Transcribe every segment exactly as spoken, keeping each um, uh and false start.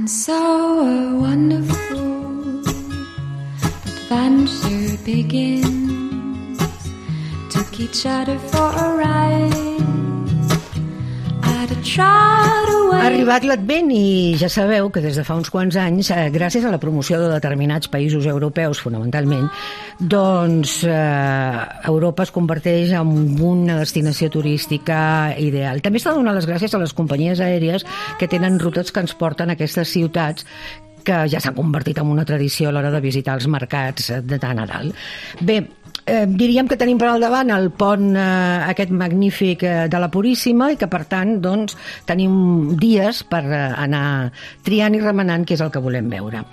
And so a wonderful adventure begins. Took each other for a ride. I'd have tried away. Ha arribat l'Advent i ja sabeu que des de fa uns quants anys, eh, gràcies a la promoció de determinats països europeus, fonamentalment, doncs eh, Europa es converteix en una destinació turística ideal. També s'ha de donar les gràcies a les companyies aèries que tenen rutes que ens porten a aquestes ciutats que ja s'han convertit en una tradició a l'hora de visitar els mercats de Nadal. Bé, Eh, diríem que tenim per al davant el pont eh, aquest magnífic eh, de la Puríssima i que per tant doncs, tenim dies per eh, anar triant i remenant què és el que volem veure.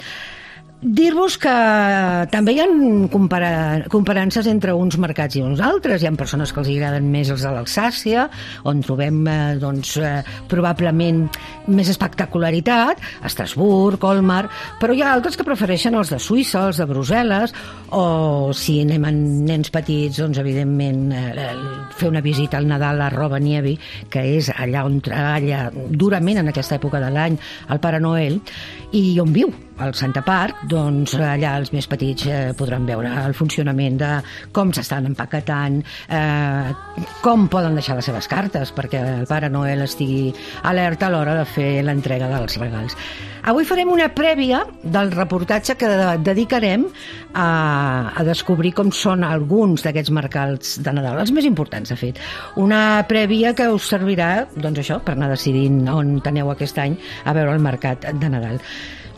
Dir-vos que també hi ha compara... comparances entre uns mercats i uns altres. Hi ha persones que els agraden més els de l'Alsàcia, on trobem eh, doncs, eh, probablement més espectacularitat, Estrasburg, Colmar, però hi ha altres que prefereixen els de Suïssa, els de Brussel·les, o si anem amb nens petits, doncs evidentment eh, fer una visita al Nadal a Rovaniemi, que és allà on treballa durament en aquesta època de l'any el Pare Noel, i on viu al Santa Parc, doncs allà els més petits eh, podran veure el funcionament de com s'estan empaquetant, eh, com poden deixar les seves cartes perquè el Pare Noel estigui alerta a l'hora de fer l'entrega dels regals. Avui farem una prèvia del reportatge que dedicarem a, a descobrir com són alguns d'aquests mercats de Nadal, els més importants, de fet. Una prèvia que us servirà, doncs això, per anar decidint on aneu aquest any a veure el mercat de Nadal.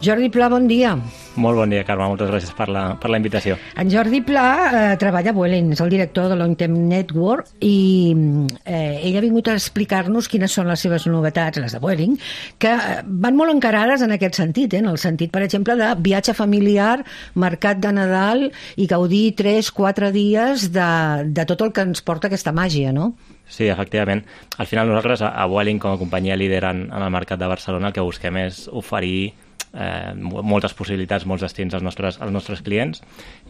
Jordi Pla, bon dia. Molt bon dia, Carme. Moltes gràcies per la, per la invitació. En Jordi Pla eh, treballa a Vueling, és el director de Long Term Network i eh, ell ha vingut a explicar-nos quines són les seves novetats, les de Vueling, que van molt encarades en aquest sentit, eh, en el sentit, per exemple, de viatge familiar, mercat de Nadal i gaudir tres, quatre dies de, de tot el que ens porta aquesta màgia, no? Sí, efectivament. Al final nosaltres a Vueling, com a companyia líder en, en el mercat de Barcelona, el que busquem és oferir Eh, moltes possibilitats, molts destins als nostres, als nostres clients,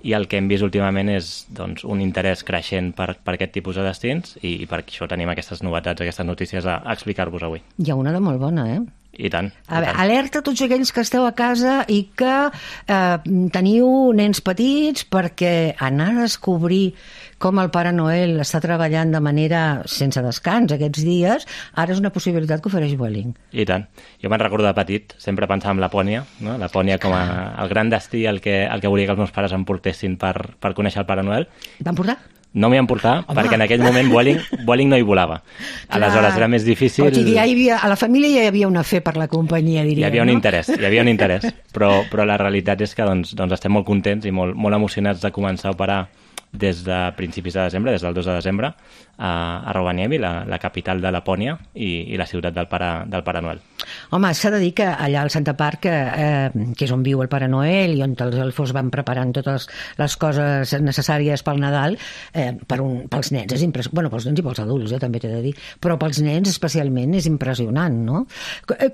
i el que hem vist últimament és doncs, un interès creixent per, per aquest tipus de destins i, i per això tenim aquestes novetats, aquestes notícies a, a explicar-vos avui. Hi ha una de molt bona, eh? I tant. A veure, alerta a tots aquells que esteu a casa i que eh, teniu nens petits, perquè anar a descobrir com el Pare Noel està treballant de manera sense descans aquests dies, ara és una possibilitat que ofereix Vueling. I tant. Jo me'n recordo de petit, sempre pensava en Lapònia, no? Lapònia com a, el gran destí, el que, el que volia que els meus pares em portessin per, per conèixer el Pare Noel. Van portar? No m'hi han portat, Home. perquè en aquell moment Vueling, Vueling no hi volava. Aleshores era més difícil... Però ja hi havia, a la família ja hi havia una fe per la companyia, diria. Hi havia un no? interès, hi havia un interès. Però, però la realitat és que doncs, doncs estem molt contents i molt, molt emocionats de començar a operar des de principis de desembre, des del dos de desembre, a, a Rovaniemi, la, la capital de Lapònia i, i la ciutat del Pare, del Pare Noel. Home, s'ha de dir que allà al Santa Parc, eh, que és on viu el Pare Noel i on els elfos van preparant totes les coses necessàries pel Nadal, eh, per un, pels nens és impressionant. Bueno, pels nens i pels adults, eh, també t'he de dir, però pels nens especialment és impressionant, no?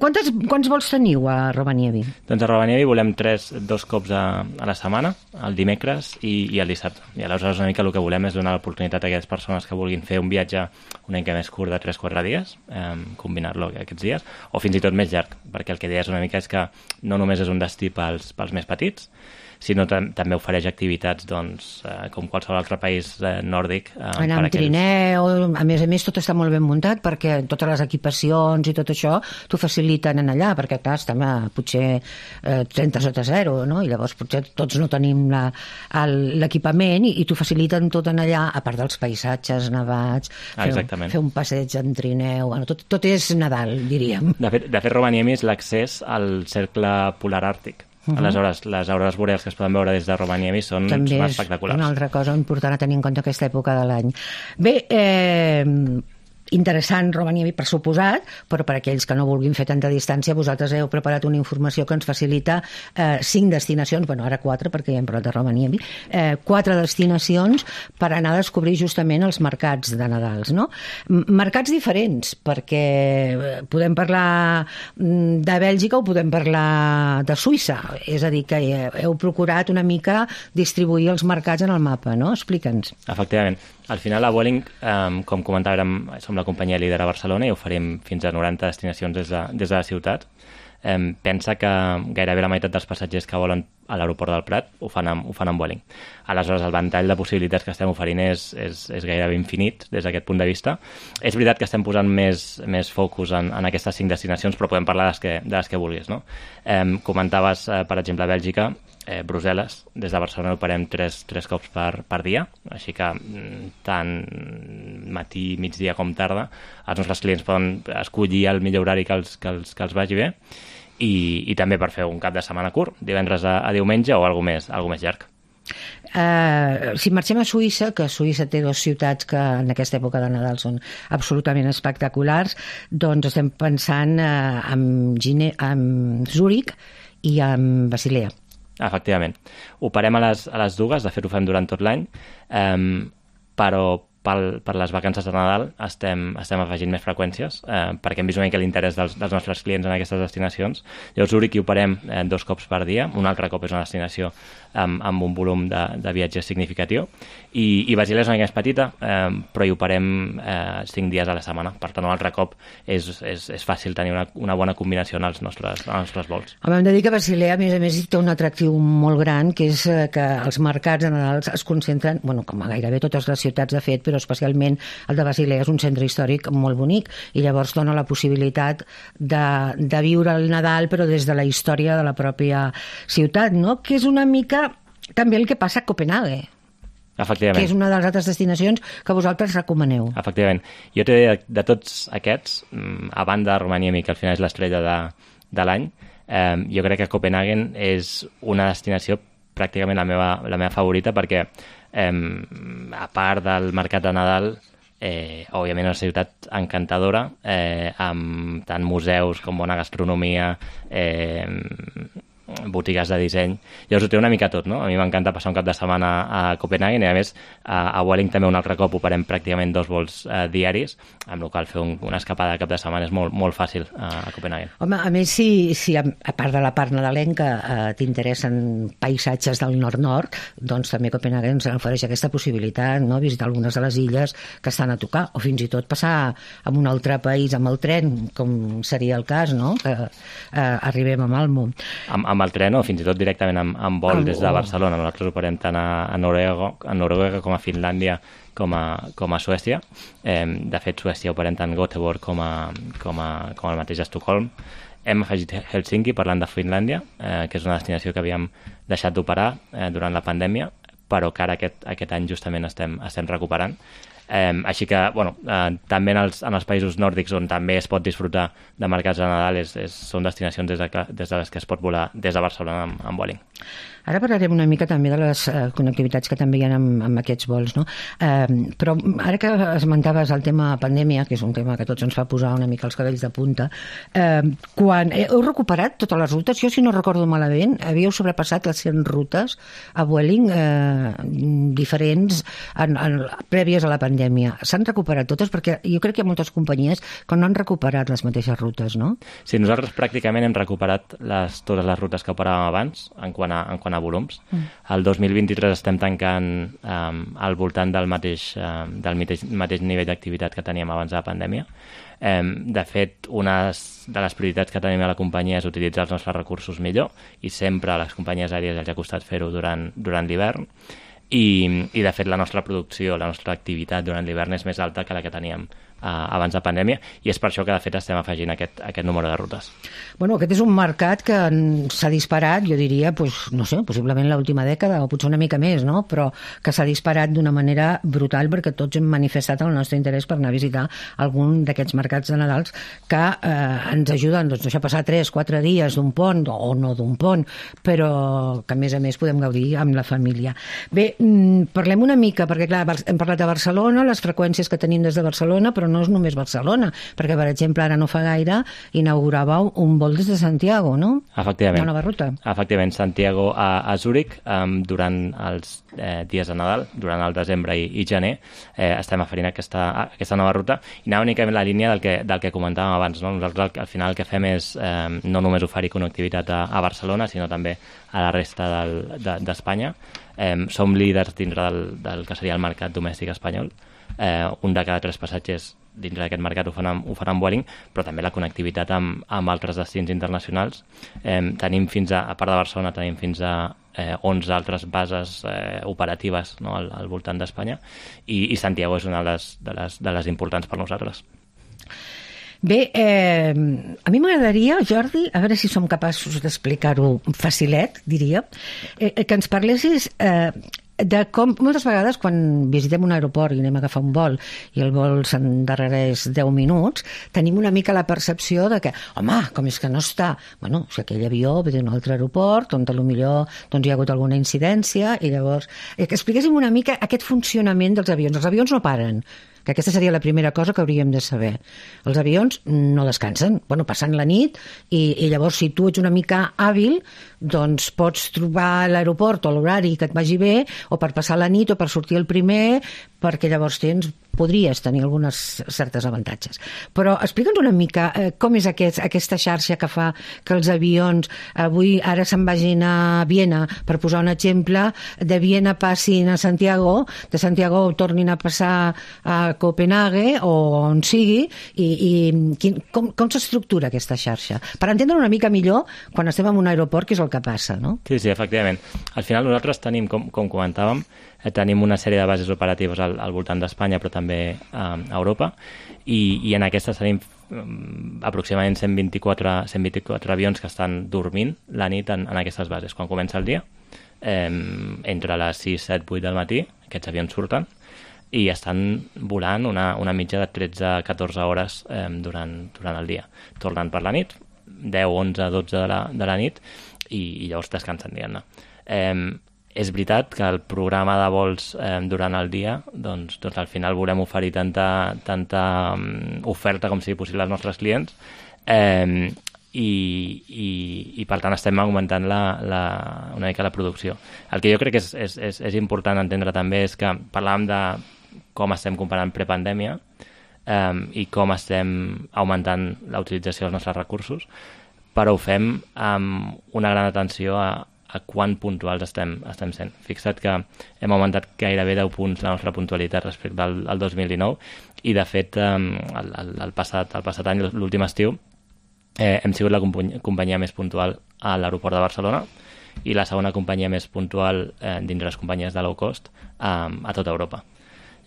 Quantes, quants vols teniu a Rovaniemi? Doncs a Rovaniemi volem tres, dos cops a, a la setmana, el dimecres i, i el dissabte. I aleshores una mica el que volem és donar l'oportunitat a aquelles persones que vulguin fer un viatge una mica més curt de tres o quatre dies, eh, combinar-lo aquests dies, o fins i tot més llarg, perquè el que deies una mica és que no només és un destí pels, pels més petits, sinó tam també ofereix activitats doncs, eh, com qualsevol altre país eh, nòrdic. Eh, Anar amb aquells... trineu, a més a més tot està molt ben muntat perquè totes les equipacions i tot això t'ho faciliten en allà, perquè clar, estem a potser eh, trenta sota zero, no? I llavors potser tots no tenim l'equipament i, i t'ho faciliten tot en allà, a part dels paisatges nevats, ah, fer, fer un passeig en trineu, bueno, tot, tot és Nadal, diríem. De fet, de fet Rovaniemi és l'accés al cercle polar àrtic. Uh -huh. Aleshores, les aurores boreals que es poden veure des de Rovaniemi són, També són espectaculars. També és una altra cosa important a tenir en compte aquesta època de l'any. Bé, eh, interessant Rovaniemi, per suposat, però per aquells que no vulguin fer tanta distància, vosaltres heu preparat una informació que ens facilita eh, cinc destinacions, bueno, ara quatre, perquè ja hem parlat de Rovaniemi, eh, quatre destinacions per anar a descobrir justament els mercats de Nadals, no? Mercats diferents, perquè podem parlar de Bèlgica o podem parlar de Suïssa, és a dir, que heu procurat una mica distribuir els mercats en el mapa, no? Explica'ns. Efectivament. Al final, a Vueling, eh, com comentàvem, som la companyia líder a Barcelona i oferim fins a noranta destinacions des de, des de la ciutat. eh, pensa que gairebé la meitat dels passatgers que volen a l'aeroport del Prat ho fan amb, ho fan amb Vueling. Aleshores, el ventall de possibilitats que estem oferint és, és, és gairebé infinit des d'aquest punt de vista. És veritat que estem posant més, més focus en, en aquestes cinc destinacions, però podem parlar de les que, de les que vulguis, no? Eh, comentaves, eh, per exemple, Bèlgica, eh, Brussel·les, des de Barcelona operem tres, tres cops per, per dia, així que tant matí, migdia com tarda, els nostres clients poden escollir el millor horari que els, que els, que els vagi bé, i, i també per fer un cap de setmana curt, divendres a, a diumenge o alguna més, alguna més llarg. Uh, si marxem a Suïssa, que Suïssa té dues ciutats que en aquesta època de Nadal són absolutament espectaculars, doncs estem pensant uh, en, Gine, en Zúrich i en Basilea. Efectivament. Operem a les, a les dues, de fet ho fem durant tot l'any, um, però pel, per les vacances de Nadal estem, estem afegint més freqüències eh, perquè hem vist una mica l'interès dels, dels nostres clients en aquestes destinacions. Llavors, Zúrich hi operem eh, dos cops per dia, un altre cop és una destinació amb, amb un volum de, de viatges significatiu, i, i Basilea és una mica més petita, eh, però hi operem eh, cinc dies a la setmana, per tant un altre cop és, és, és fàcil tenir una, una bona combinació en els nostres, en els nostres vols. Home, hem de dir que Basilea, a més a més, té un atractiu molt gran, que és que els mercats de Nadal es concentren, bueno, com a gairebé totes les ciutats de fet, però especialment el de Basilea és un centre històric molt bonic, i llavors dona la possibilitat de, de viure el Nadal, però des de la història de la pròpia ciutat, no? Que és una mica també el que passa a Copenhague. Efectivament. Que és una de les altres destinacions que vosaltres recomaneu. Efectivament. Jo t'he de, de tots aquests, a banda de Romaniemi, que al final és l'estrella de, de l'any, eh, jo crec que Copenhagen és una destinació pràcticament la meva, la meva favorita, perquè eh, a part del mercat de Nadal, eh, òbviament és una ciutat encantadora, eh, amb tant museus com bona gastronomia, eh, botigues de disseny. Llavors ho té una mica tot, no? A mi m'encanta passar un cap de setmana a Copenhagen, i a més a, a Vueling també un altre cop operem pràcticament dos vols eh, diaris, amb la qual fer un, una escapada de cap de setmana és molt, molt fàcil a, a Copenhagen. Home, a més, si, si a, a part de la part nadalenca eh, t'interessen paisatges del nord-nord, doncs també Copenhagen ens ofereix aquesta possibilitat, no? Visitar algunes de les illes que estan a tocar, o fins i tot passar a un altre país amb el tren, com seria el cas, no? Que eh, arribem a Malmö. Amb, amb el tren o fins i tot directament amb, amb vol des de Barcelona. Nosaltres operem tant a, a, Noruega, a Noruega com a Finlàndia com a, com a Suècia. Eh, de fet, Suècia operem tant Göteborg com, a, com, a, com el mateix Estocolm. Hem afegit Helsinki, parlant de Finlàndia, eh, que és una destinació que havíem deixat d'operar eh, durant la pandèmia, però que ara aquest, aquest any justament estem, estem recuperant. Eh, així que, bueno, eh, també en els, en els països nòrdics, on també es pot disfrutar de mercats de Nadal, és, és, són destinacions des de, des de les que es pot volar des de Barcelona amb, amb Vueling. Ara parlarem una mica també de les eh, connectivitats que també hi ha amb, amb aquests vols, no? Eh, però ara que esmentaves el tema pandèmia, que és un tema que tots ens fa posar una mica els cabells de punta, eh, quan heu recuperat totes les rutes, jo si no recordo malament, havíeu sobrepassat les cent rutes a Vueling eh, diferents en, en, prèvies a la pandèmia. S'han recuperat totes? Perquè jo crec que hi ha moltes companyies que no han recuperat les mateixes rutes, no? Sí, nosaltres pràcticament hem recuperat les, totes les rutes que operàvem abans, en quant a, en quant a volums. Mm. El dos mil vint-i-tres estem tancant um, al voltant del mateix, um, del mateix, mateix nivell d'activitat que teníem abans de la pandèmia. Um, de fet, una de les prioritats que tenim a la companyia és utilitzar els nostres recursos millor, i sempre a les companyies aèries els ha costat fer-ho durant, durant l'hivern, i, i de fet la nostra producció, la nostra activitat durant l'hivern és més alta que la que teníem Uh, abans de pandèmia, i és per això que de fet estem afegint aquest, aquest número de rutes. Bueno, aquest és un mercat que s'ha disparat, jo diria, pues, no sé, possiblement l'última dècada o potser una mica més, no? Però que s'ha disparat d'una manera brutal, perquè tots hem manifestat el nostre interès per anar a visitar algun d'aquests mercats de Nadals que eh, ens ajuden, doncs, deixar passar tres, quatre dies d'un pont, o no d'un pont, però que a més a més podem gaudir amb la família. Bé, parlem una mica, perquè clar, hem parlat de Barcelona, les freqüències que tenim des de Barcelona, però no és només Barcelona, perquè, per exemple, ara no fa gaire inauguràveu un vol des de Santiago, no? Efectivament. Una nova ruta. Efectivament, Santiago a, a Zúrich, um, durant els eh, dies de Nadal, durant el desembre i, i gener, eh, estem oferint aquesta, aquesta nova ruta, i anava únicament la línia del que, del que comentàvem abans, no? Nosaltres al, al final el que fem és eh, no només oferir connectivitat a, a Barcelona, sinó també a la resta del, de, d'Espanya. Eh, som líders dintre del, del que seria el mercat domèstic espanyol. eh, un de cada tres passatgers dins d'aquest mercat ho fan amb, ho fan amb Vueling, però també la connectivitat amb, amb altres destins internacionals. Eh, tenim fins a, a part de Barcelona, tenim fins a eh, onze altres bases eh, operatives, no?, al, al voltant d'Espanya, i, i Santiago és una de les, de les, de les importants per nosaltres. Bé, eh, a mi m'agradaria, Jordi, a veure si som capaços d'explicar-ho facilet, diria, eh, que ens parlessis eh, de com, moltes vegades, quan visitem un aeroport i anem a agafar un vol i el vol s'endarrereix deu minuts, tenim una mica la percepció de que, home, com és que no està... Bueno, si aquell avió ve d'un altre aeroport, on potser doncs, hi ha hagut alguna incidència, i llavors... Eh, que expliquéssim una mica aquest funcionament dels avions. Els avions no paren, que aquesta seria la primera cosa que hauríem de saber. Els avions no descansen, bueno, passant la nit, i, i llavors si tu ets una mica hàbil, doncs pots trobar l'aeroport o l'horari que et vagi bé, o per passar la nit o per sortir el primer, perquè llavors tens, podries tenir algunes certes avantatges. Però explica'ns una mica eh, com és aquest, aquesta xarxa que fa que els avions avui ara se'n vagin a Viena, per posar un exemple, de Viena passin a Santiago, de Santiago tornin a passar a Copenhague o on sigui, i, i quin, com, com s'estructura aquesta xarxa? Per entendre una mica millor quan estem en un aeroport, que és el que passa, no? Sí, sí, efectivament. Al final nosaltres tenim, com, com comentàvem, eh, tenim una sèrie de bases operatives al, al voltant d'Espanya, però també eh, a Europa, i, i en aquestes tenim um, aproximadament cent vint-i-quatre, cent vint-i-quatre avions que estan dormint la nit en, en aquestes bases. Quan comença el dia, eh, entre les sis, set, vuit del matí, aquests avions surten i estan volant una, una mitja de tretze a catorze hores eh, durant, durant el dia. Tornen per la nit, deu, onze, dotze de la, de la nit, i, i llavors descansen, diguem-ne. Eh, és veritat que el programa de vols eh, durant el dia, doncs, doncs al final volem oferir tanta, tanta um, oferta com sigui possible als nostres clients, eh, i, i, i per tant estem augmentant la, la, una mica la producció. El que jo crec que és, és, és, és important entendre també és que parlàvem de com estem comparant prepandèmia eh, i com estem augmentant la utilització dels nostres recursos, però ho fem amb una gran atenció a, a quan puntuals estem, estem sent. Fixa't que hem augmentat gairebé deu punts la nostra puntualitat respecte al, al dos mil dinou, i de fet eh, el, el, el, passat, el passat any, l'últim estiu, eh, hem sigut la companyia, companyia més puntual a l'aeroport de Barcelona i la segona companyia més puntual eh, dins les companyies de low cost eh, a tota Europa.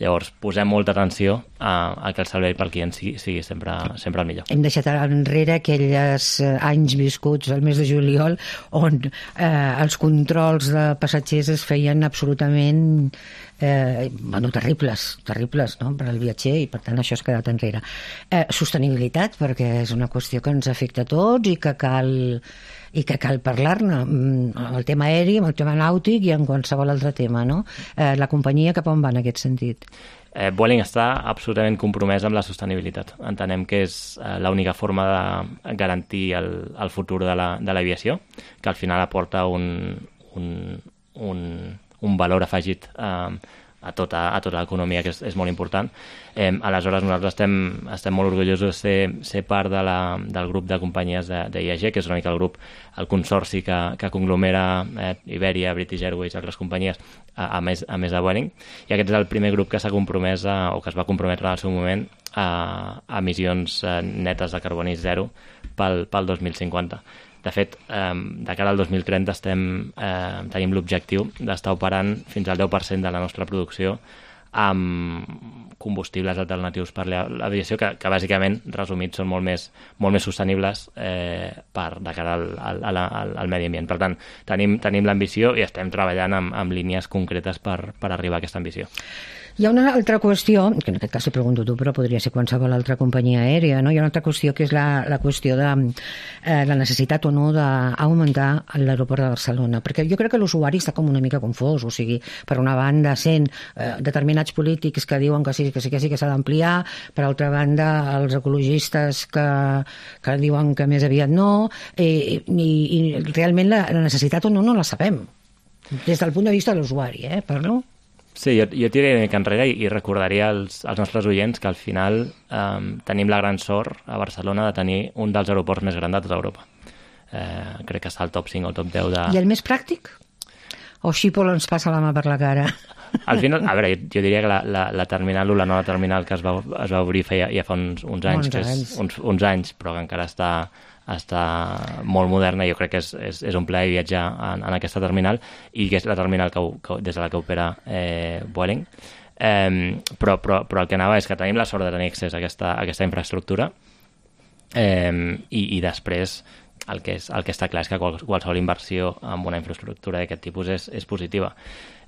Llavors, posem molta atenció a, a que el servei pel client sigui, sigui sempre, sempre el millor. Hem deixat enrere aquells anys viscuts al mes de juliol on eh, els controls de passatgers es feien absolutament eh, bueno, terribles, terribles, no?, per al viatger, i per tant això s'ha quedat enrere. Eh, sostenibilitat, perquè és una qüestió que ens afecta a tots i que cal i que cal parlar-ne, amb el tema aeri, amb el tema nàutic i en qualsevol altre tema, no? Eh, la companyia cap on va en aquest sentit? Eh, Vueling està absolutament compromès amb la sostenibilitat. Entenem que és eh, l'única forma de garantir el, el futur de l'aviació, la, que al final aporta un, un, un, un valor afegit eh, a tota, a tota l'economia, que és, és molt important. Eh, aleshores, nosaltres estem, estem molt orgullosos de ser, ser part de la, del grup de companyies d'I A G, que és una mica el grup, el consorci que, que conglomera eh, Iberia, British Airways i altres companyies, a, a, més, a més de Vueling, i aquest és el primer grup que s'ha compromès, a, o que es va comprometre en el seu moment, a, a emissions eh, netes de carboni zero pel, pel dos mil cinquanta. De fet, eh, de cara al dos mil trenta estem, eh, tenim l'objectiu d'estar operant fins al deu per cent de la nostra producció amb combustibles alternatius per l'aviació, que, que bàsicament, resumits, són molt més, molt més sostenibles eh, per, de cara al, al, al, al medi ambient. Per tant, tenim, tenim l'ambició i estem treballant amb, amb línies concretes per, per arribar a aquesta ambició. Hi ha una altra qüestió, que en aquest cas t'ho pregunto tu, però podria ser qualsevol altra companyia aèria, no? Hi ha una altra qüestió que és la, la qüestió de eh, la necessitat o no d'augmentar l'aeroport de Barcelona, perquè jo crec que l'usuari està com una mica confós, o sigui, per una banda sent eh, determinats polítics que diuen que sí, que sí, que sí, que s'ha d'ampliar, per altra banda els ecologistes que, que diuen que més aviat no, i, i, i realment la, la necessitat o no no la sabem, des del punt de vista de l'usuari, eh, parlo? Sí, jo, jo tiraria una mica enrere i, i recordaria als, als nostres oients que al final eh, tenim la gran sort a Barcelona de tenir un dels aeroports més grans de tota Europa. Eh, crec que està al top cinc o al top deu de... I el més pràctic? O Schiphol ens passa la mà per la cara? Al final, a veure, jo diria que la, la, la terminal u, la nova terminal que es va, es va obrir feia, ja fa uns, uns anys, que és, uns, uns anys, però que encara està, està molt moderna, jo crec que és, és, és un plaer viatjar en, en aquesta terminal, i que és la terminal que, que, des de la que opera eh, Vueling. Eh, però, però, però el que anava és que tenim la sort de tenir accés a aquesta, a aquesta infraestructura, eh, i, i després el que, és, el que està clar és que qual, qualsevol inversió en una infraestructura d'aquest tipus és, és positiva.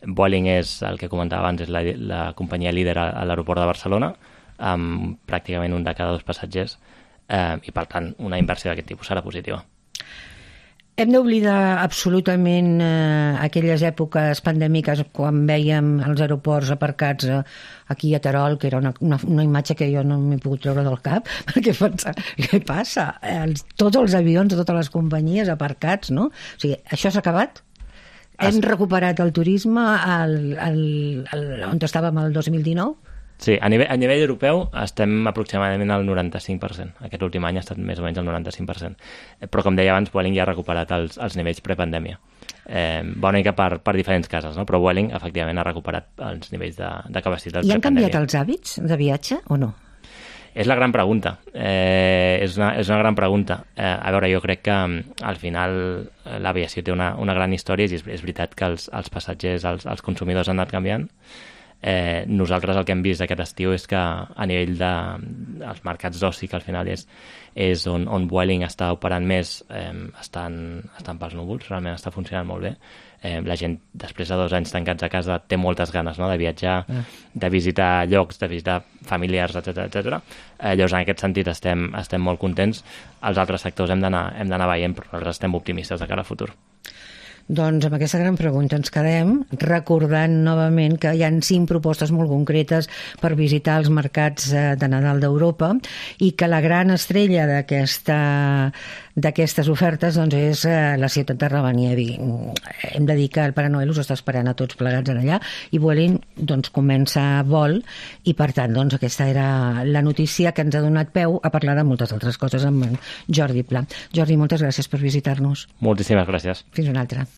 Vueling és, el que comentava abans, és la, la companyia líder a, a l'aeroport de Barcelona, amb pràcticament un de cada dos passatgers, eh, i per tant una inversió d'aquest tipus serà positiva. Hem d'oblidar absolutament eh, aquelles èpoques pandèmiques quan vèiem els aeroports aparcats eh, aquí a Terol, que era una, una, una imatge que jo no m'he pogut treure del cap, perquè pensava, què passa? Els, tots els avions de totes les companyies aparcats, no? O sigui, això s'ha acabat? Hem recuperat el turisme al, al, al, on estàvem el dos mil dinou? Sí, a nivell, a nivell europeu estem aproximadament al noranta-cinc per cent. Aquest últim any ha estat més o menys el noranta-cinc per cent. Però, com deia abans, Vueling ja ha recuperat els, els nivells prepandèmia. Eh, va una mica per, per diferents cases, no? Però Vueling, efectivament, ha recuperat els nivells de, de capacitat prepandèmia. I han canviat els hàbits de viatge o no? És la gran pregunta. Eh, és, una, és una gran pregunta. Eh, a veure, jo crec que al final l'aviació té una, una gran història, i és, és veritat que els, els passatgers, els, els consumidors han anat canviant. Eh, nosaltres el que hem vist aquest estiu és que a nivell de els mercats d'oci, que al final és, és on, on Vueling està operant més, eh, estan, estan pels núvols, realment està funcionant molt bé. Eh, la gent, després de dos anys tancats a casa, té moltes ganes, no?, de viatjar, ah. de visitar llocs, de visitar familiars, etcètera etcètera. Eh, llavors, en aquest sentit, estem, estem molt contents. Els altres sectors hem d'anar hem d'anar veient, però nosaltres estem optimistes de cara al futur. Doncs amb aquesta gran pregunta ens quedem, recordant novament que hi ha cinc propostes molt concretes per visitar els mercats de Nadal d'Europa, i que la gran estrella d'aquesta d'aquestes ofertes doncs, és la ciutat de Ravaniemi. Hem de dir que el Pare Noel us està esperant a tots plegats en allà, i Vueling doncs, comença vol, i per tant doncs, aquesta era la notícia que ens ha donat peu a parlar de moltes altres coses amb Jordi Pla. Jordi, moltes gràcies per visitar-nos. Moltíssimes gràcies. Fins una altra.